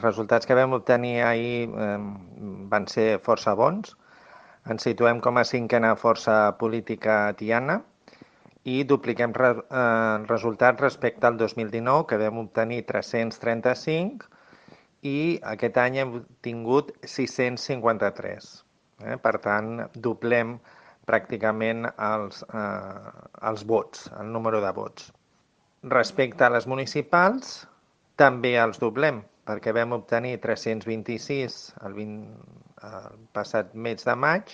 Els resultats que vam obtenir ahir van ser força bons. Ens situem com a cinquena força política tiana i dupliquem resultats respecte al 2019, que vam obtenir 335, i aquest any hem tingut 653. Per tant, doblem pràcticament els vots, el número de vots. Respecte a les municipals, també els doblem, perquè vam obtenir 326 el passat mes de maig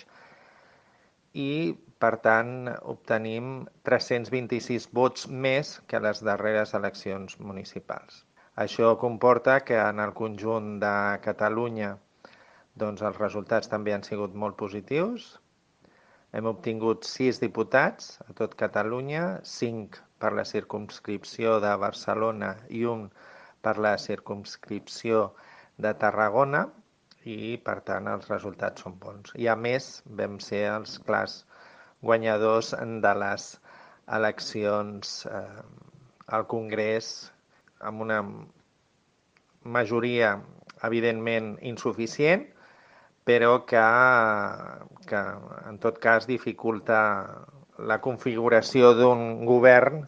i, per tant, obtenim 326 vots més que les darreres eleccions municipals. Això comporta que en el conjunt de Catalunya doncs, els resultats també han sigut molt positius. Hem obtingut 6 diputats a tot Catalunya, 5 per la circumscripció de Barcelona i un per la circumscripció de Tarragona i, per tant, els resultats són bons. I, a més, vam ser els clars guanyadors de les eleccions al Congrés amb una majoria, evidentment, insuficient, però que en tot cas dificulta la configuració d'un govern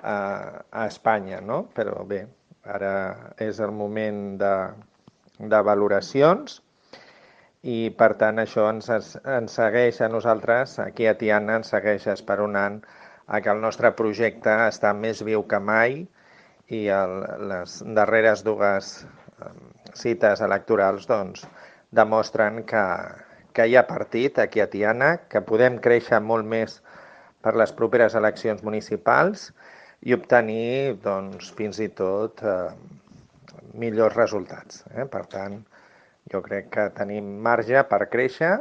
a Espanya, no? Però bé, ara és el moment de valoracions i, per tant, això ens segueix a nosaltres, aquí a Tiana, ens segueix esperonant a que el nostre projecte està més viu que mai i les darreres dues cites electorals doncs, demostren que hi ha partit aquí a Tiana, que podem créixer molt més per les properes eleccions municipals i obtenir doncs, fins i tot millors resultats. Per tant, jo crec que tenim marge per créixer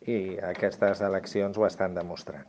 i aquestes eleccions ho estan demostrant.